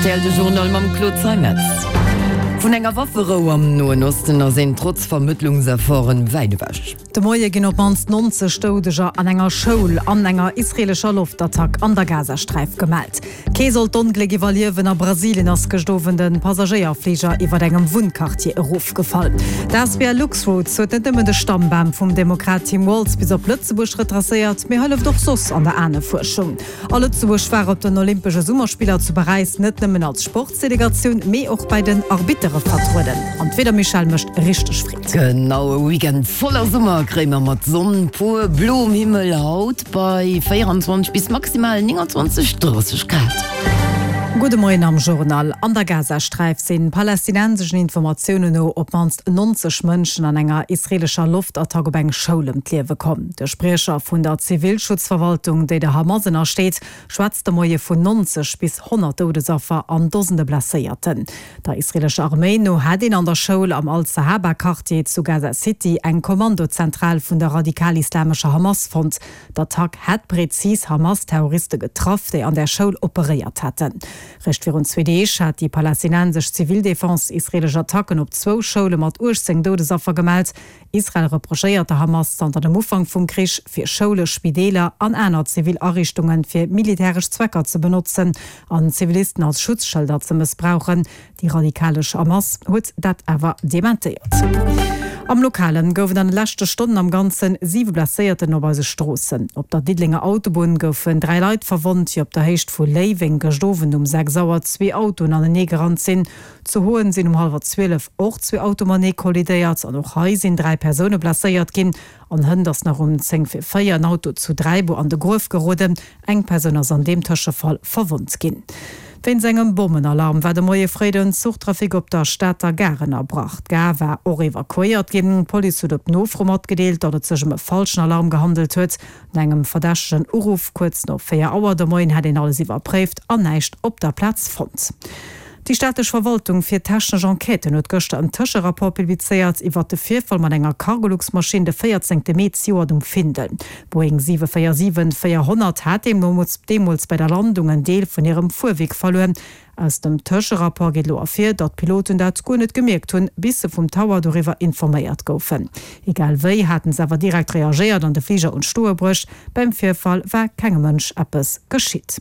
Rtl, de Journal mam Claude Zeimetz. Vun enger Wafferou am Noen Osten ass een trotz Vermëttlungsefforten wäit ewech. De Moie ginn op d'mannst 90 Doudeger an enger Schoul an enger israeelescher Loftattack an der Gazasträif gemellt. Kee sollt d'Ongléck iwwerliewen. A Brasilien ass gëscht Owend e Passagéierfliger iwwer engem Wunnquartier erofgefall. D'asbl Luxroots huet net nëmmen de Stammbam vum Demokrat Tim Walz bis op Lëtzebuerg retracéiert, mee hëlleft och soss an der Ahnefuerschung. A Lëtzebuerg war op den Olympesche Summerspiller zu Paräis net nëmmen als Sportsdelegatioun, mee och bei den Arbittere vertrueden. An d'Wieder, Michèle, mécht richteg Freed. Genau, e Weekend voller Summer kréie mer mat Sonn pur, bloem Himmel haut. Bei 24 bis maximal 29, 30 Grad. Gudde Moien am Journal. An der Gazasträif sinn palästinenseschen Informatiounen no op d'mannst 90 Mënschen an enger israeelescher Loftattack op eng Schoul ëm d'Liewe komm. De Spriecher vun der Zivilschutzverwaltung, déi der Hamas ënnersteet, schwätzt de Moie vun 90 bis 100 Doudesaffer an Dosende Blesséierten. Der israeelescher Arméi no hätt een an der Schoul am Al-Sahaba-Quartier zu Gaza City eng Kommandozentral vun der radikal-islamescher Hamas fonnt. D'Attack hätt prezis Hamas-Terroriste getraff, déi an där Schoul operéiert hätten. Réischt virun zwee Deeg hat déi palästinensesch Zivildefense israeelesch Attacken op zwou Schoule mat 18 Doudesaffer gemellt. Israel reprochéiert der Hamas zanter dem Ufank vum Krich, fir Schoule, Spideeler an aner zivil Ariichtunge fir militäresch Zwecker ze benotzen an Zivilisten als Schutzschëlder ze mëssbrauchen. Déi radikalesch Hamas huet dat awer dementéiert. Am Lokalen gouf et an de leschte Stonnen am Ganze 7 Blesséierten op eise Stroossen. Op der Diddelenger Autobunn goufen 3 Leit verwonnt, wéi op der Héicht vu Léiweng gëscht Owend um 6 Auer zwee Autoen anenee gerannt sinn. Zu Hoen sinn um hallwer 12 och zwee Auto matenee kollidéiert an och hei sinn 3 Persoune blesséiert ginn. An hënt ass nach um 10 vir 4 en Auto zu Dräibuer an de Gruef geroden. Eng Persoun ass an deem Tëschefall verwonnt ginn. Wéinst engem Bommenalarm war de Moie fréi den Zuchtrafic op der Stater Gare ënnerbrach. D'Gare war och evakuéiert ginn. D'Police huet op Nofro matgedeelt, datt et sech ëm e falschen Alarm gehandelt huet. No engem verdächtegen Uruff kuerz no 4 Auer de Moien hätt een alles iwwerpréift an näischt op der Plaz fonnt. Déi staatlech Verwaltung fir technesch Enquêten huet gëschter en Tëscherapport publizéiert iwwert de Virfall mat enger Cargolux-Maschinn de 14 Mee zejoert um Findel. D'Boeing 747-400 hat deemools bei der Landung en Deel vun hirem Fuerwierk verluer. Aus dem Tëscherapport geet elo ervir, datt d'Piloten dat guer net gemierkt hunn, bis se vum Tower doriwwer informéiert goufen. Egal wéi, haten se awer direkt reagéiert an de Fliger un d'Stoe bruecht. Beim Virfall war kengem Mënsch eppes geschitt.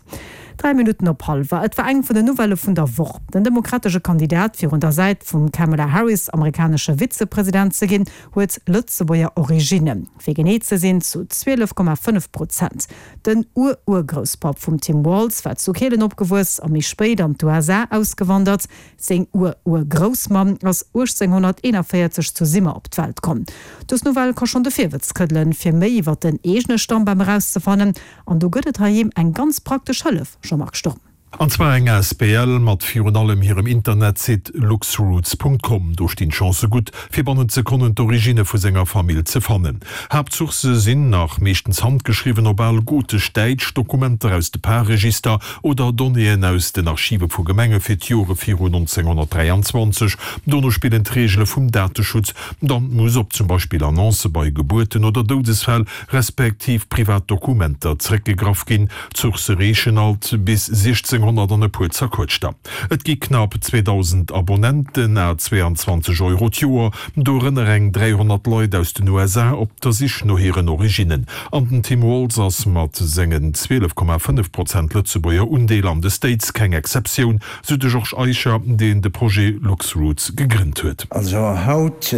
3 Minutten op hallwer. Et war eng vun den Nouvellë vun der Woch. Den demokratesche Kandidat, fir un der Säit vum Kamala Harris amerikanesche Vizepresident ze ginn, huet Lëtzebuerger Originnen. Fir genee ze sinn zu 12,5 Prozent. Den Ur-Urgrousspapp vum Tim Walz war zu Kehlen opgewuess a méi spéit an d'USA ausgewandert. Seng Ur-Urgroussmamm ass 1841 zu Simmer op d'Welt komm. Dës Nouvelle ka schonn de Virwëtz këddelen, fir méi iwwer den eegene Stammbam erauszefannen. An do gëtt et heiheem eng ganz praktesch Hëllef, Jean-Marc Sturm. An zwar eng asbl mat virun allem hirem Internetsite luxroots.com. Do stinn d'Chancë gutt, fir bannent Sekonnen d'Originne vu senger Famill ze fannen. Haaptsourcë sinn, nach meeschtens handgeschriwwen op al gotesch-däitsch, Dokumenter aus de Parregister oder Donnéeën aus den Archive vu Gemenge fir d'Jore viru 1923. Dono spillen d'Reegele vum Dateschutz. Dann muss op zum Beispill Annoncë bei Gebuerten oder Doudesfäll respektiv privat Dokumenter zréckgegraff ginn. D'Sourcë reechen alt bis 1600 an e puer zerquëtschter. Et gi knapp 2.000 Abonnenten à 22 Euro d'Joer, dorënner eng 300 Leit aus den USA op der Sich no hiren Originnen. An den Tim Walz ass mat sengen 12,5 Prozent Lëtzebuerger Undeel an de States keng Exceptioun, sou de Georges Eicher, deen de Projet Luxroots gegrënnt huet. Also haut,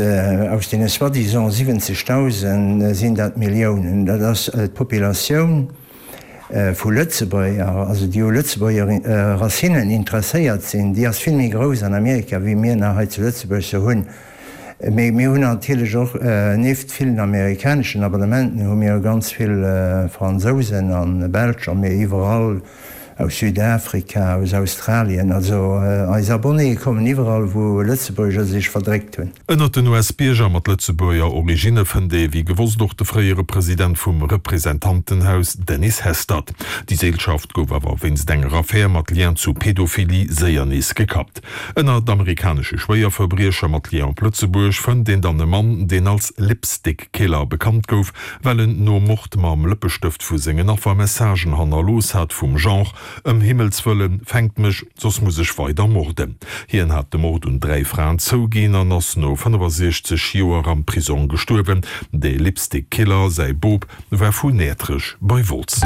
aus deene soi-disant 70.000 sinn dat Milliounen. Dat ass d'Populatioun vu Lëtzebuerger, also déi u Lëtzebuerger Racinen interesséiert sinn, déi ass vill méi grouss an Amerika wéi mir nach hei zu Lëtzebuerg se hunn. Mee mir hunn natierlech och, nieft villen amerikaneschen Abonnementen, hu mir ganz vill Fransousen a Belsch a mir iwwerall aus Südafrika, aus Australien. Also eis Abonnéë kommen iwwerall wou Lëtzebuerger sech verdréckt hunn. Ënnert den US-Bierger mat Lëtzebuerger Originne fënnt ee wéi gewosst och de fréiere President vum Representantenhaus Dennis Hastert. Déi Seelschaft gouf awer wéinst enger Affär mat Lien zu Pedophilie séier nees gekappt. Ënnert amerikanesche Schwéierverbriecher mat Lien op Lëtzebuerg fënnt een dann e Mann, deen als Lipstick Killer bekannt gouf, well en nom Mord mam Lëppestëft vu sengen Affer Messagen hannerlooss hat vum Genre. Ëm Himmels wëllen, fänkt mech, soss muss ech weider morden. Hien hat de Mord un 3 Fraen zouginn an ass no 65 Joer am Prisong gestuerwen. De Lipstick Killer, säi Bop, war vu Näertrech bei Wolz.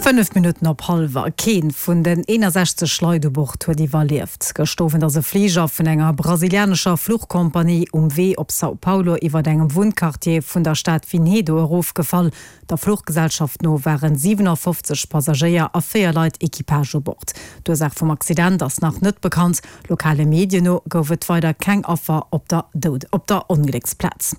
5 Minutten op hallwer. Kee vun den 61 Leit u Bord huet iwwerlieft. Gëscht Owend ass e Fliger vun enger brasilianescher Fluchkompanie um Wee op São Paulo iwwert engem Wunnquartier vun der Stad Vinhedo erofgefall. Der Fluchgesellschaft no waren 57 Passagéier a 4 Leit Equipage u Bord. D'Ursaach vum Accident ass nach net bekannt. Lokale Medien no gouf et weider keng Affer op der op der Onglécksplaz.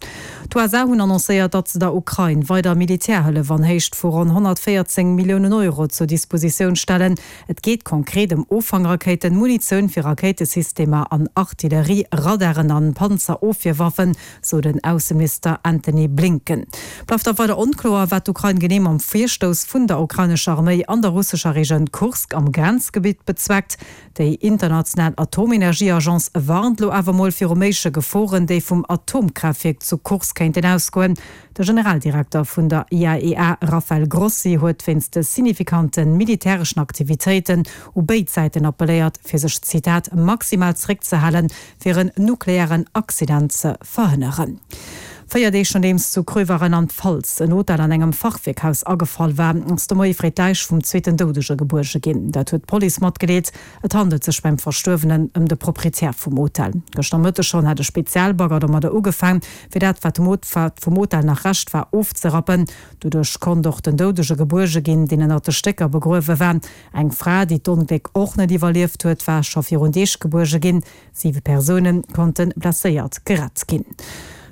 D'USA hunn annoncéiert, datt se der Ukrain weider Militärhëllef an Héicht vu ronn 114 Milliounen Euro zur Dispositioun stellen. Et geet konkret ëm Offangrakéiten, Munitioun fir Rakéitesystemer an Artillerie, Radaren an Panzerofwierwaffen, sou den Ausseminister Antony Blinken. Bleift da weider onkloer, wat d'Ukrain genee mam Virstouss vun der ukrainescher Arméi an der russescher Regioun Kursk am Grenzgebitt bezweckt. Déi international Atomenergieagence warnt lo awer mol viru méigleche Geforen, déi vum Atomkraaftwierk zu Kursk kéinten ausgoen. De Generaldirekter vun der IAEA Rafael Grossi huet wéinst de signifikante militäreschen Aktivitéiten u béid Säiten appelléiert, fir sech, Zitat, maximal zeréckzehalen, fir en nuklearen Accident ze verhënneren. 4 Deeg nodeems zu Kröver, Rheinland-Pfalz, en Hotel an engem Fachwierkhaus agefall war, ass de Moie fréi d'Läich vum zweeten Doudege gebuerge ginn. Dat huet d'Police matgedeelt. Et handelt sech beim Verstuerwenen ëm de Proprietär vum Hotel. Gëschter Mëtteg schonn hat e Spezialbagger domadder ugefaang, fir dat, wat vum Hotel nach Rescht war, ofzerappen. Doduerch konnt och den Doudege gebuerge ginn, deen ënnert de Stécker begruewe war. Eng Fra, déi d'Ongléck och net iwwerlieft huet, war scho virun Deeg gebuerge ginn. Siwe Persoune konnte blesséiert gerett ginn.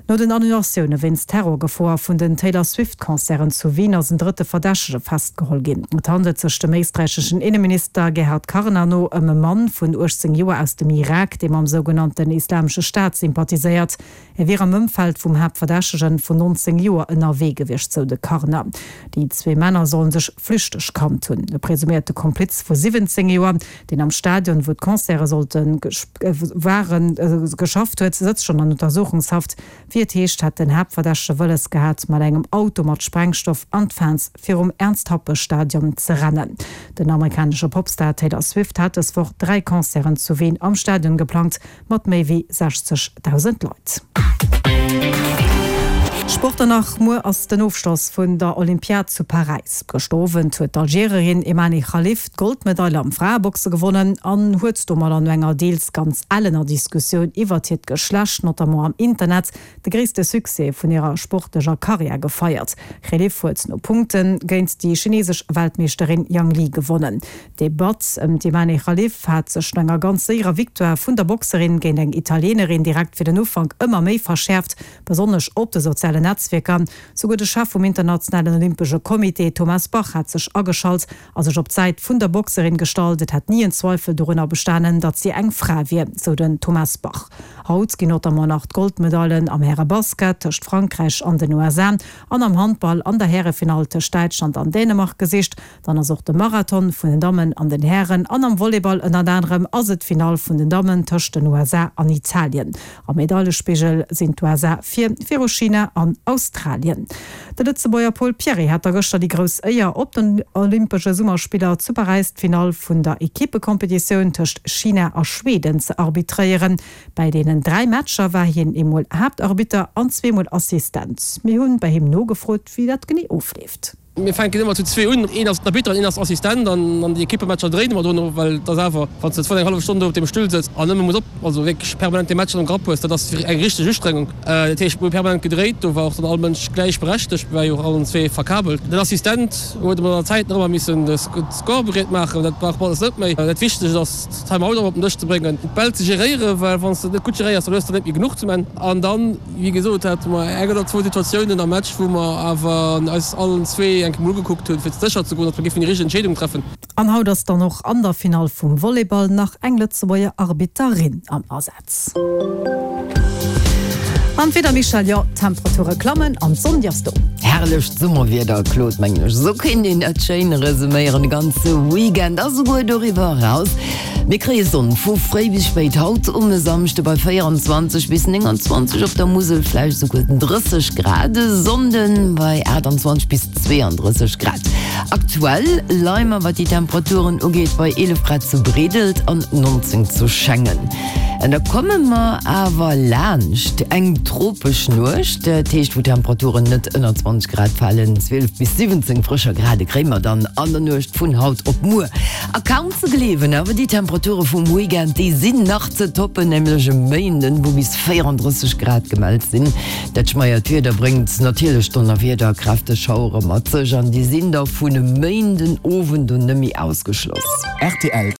No den Annulatioune wéinst Terrorgefoer vun den Taylor Swift-Concerten zu Wien ass en drëtte Verdächtege festgeholl ginn. Et handelt sech dem éisträicheschen Inneminister Gerhard Karner no ëm e Mann vun 18 Joer aus dem Irak, dee mam sougenannten Islamesche Staat sympathiséiert. E wier am Ëmfeld vum Haaptverdächtegen vun 19 Joer ënnerwee gewiescht, sou de Karner. Déi zwee Männer sollen sech flüchteg kannt hunn. E presuméierte Kompliz vu 17 Joer, deen am Stadion, wou d'Concerte sollte waren, geschafft huet, sëtzt schonn an Untersuchungshaft. Wéi et heescht, hätt den Haaptverdächtege wëlles gehat, mat engem Auto mat Sprengstoff an d'Fans virum Ernst-Happel-Stadion ze rennen. Den amerikanesche Popstar Taylor Swift hat dës Woch 3 Concerten zu Wien am Stadion geplangt. Mat méi wéi 60.000 Leit. Sport dann nach, Muer ass den Ofschloss vun der Olympiad zu Paräis. Gëschter Owend huet d'Algerierin Emane Khalif d'Goldmedail am Fraeboxe gewonnen an huet domadder no enger deels ganz ellener Diskussioun iwwert hiert Geschlecht, notamment am Internet, de gréisste Succès vun hirer sportlecher Karriär gefeiert. Khelif huet no Punkte géint déi chinesesch Weltmeeschterin Yang Li gewonnen. D'Debatt ëm d'Imane Khalif hat sech no enger ganz séierer Victoire vun der Boxerin géint eng Italienerin direkt fir den Ufank ëmmer méi verschäerft, besonnesch op de sozialen Netzwierker. Souguer de Chef vum internationalen Olympesche Comité Thomas Bach hat sech ageschalt a sech op d'Säit vun der Boxerin gestallt. Et hätt ni en Zweifel dorunner bestanen, datt si eng Fra wier, sou den Thomas Bach. Haut ginn notamment nach d'Goldmedailen am Härebasket tëscht Frankräich an den USA an am Handball an der Härefinall tëscht Däitschland an Dänemark gesicht. Dann ass och de Marathon vun den Dammen an den Hären an am Volleyball ënnert anerem ass et d'Finall vun den Dammen tëscht den USA an Italien. Am Medailespigel sinn d'USA vir, viru China an Australien. De Lëtzebuerger Pol Pierret hat da gëschter déi grouss Éier, op den Olympesche Summerspiller zu Paräis d'Finall vun der Ekippekompetitioun tëscht China a Schweden ze arbitréieren. Bäi deenen 3 Matcher war hien eemol Haaptarbitter an zweemol Assistent. Mir hunn bei him nogefrot, wéi dat genee ofleeft. Mir fänken ëmmer zu zwee un, een ass den Arbitter an een ass Assistent an an déi Ekippematcher dréine mer dono, well et ass awer, wann s de zwar eng hallef Stonn do op deem Stull sëtz an nëmme muss op, also wierklech permanent dee Match am Grapp hues, dat ass eng richteg Ustrengung. Dat heescht, mir hu permanent gedréit, do war och dann all Mënsch gläichberechtegt, mir ware jo och allen zwee verkabelt. Den Assistent huet mat der Zäit nach ëmmer missen de Score bereet maachen, dat brauch mer alles net méi. Dat Wichtegst ass, d'Time-out ëmmer op den Dësch ze bréngen, d'Bäll ze geréieren, well wann s de net gutt geréiers, dann hues de net méi genuch zum Enn an dann, Wéi gesot hate mer eng oder zwou Situatiounen am Match, wou mer awer eis allen zwee eng Kéier mol ugekuckt hunn, fir sécher ze goen, datt mer géifen déi richteg Entscheedung treffen. An haut ass dann och an der Finall vum Volleyball nach eng Lëtzebuerger Arbitterin am Asaz. An d'Wieder, Michèle, jo, d'Temperature klammen an d'Sonn, déi ass do. Herrlecht Summerwieder, Claude, mengen ech. Esou kéint een dat schéin resuméieren, de ganze Weekend a souguer doriwwer eraus. Mir kréie Sonn vu fréi bis spéit haut um e Samschde bei 24 bis 29, op der Musel vläicht souguer 30 Grad, e Sonnde bei 28 bis 32 Grad. Aktuell leie mer, wat déi Temperaturen ugeet, bei 11 Grad zu Breedelt an 19 zu Schengen. An da komme mer awer laanscht eng tropesch Nuecht, dat heescht wou d'Temperaturen net ënner 20 Grad falen. 12 bis 17 frëscher Grade kréie mer dann an der Nuecht vun haut op muer. A kaum ze gleewen, awer déi Temperature vum Weekend, déi sinn nach ze toppen, nämlech e Méinden, wou bis 34 Grad gemellt sinn. Dat schmeiert Wieder bréngt natierlech Donnerwieder, kräfteg Schauere mat sech an déi sinn da vun e Méinden Owend un net méi ausgeschloss. Rtl.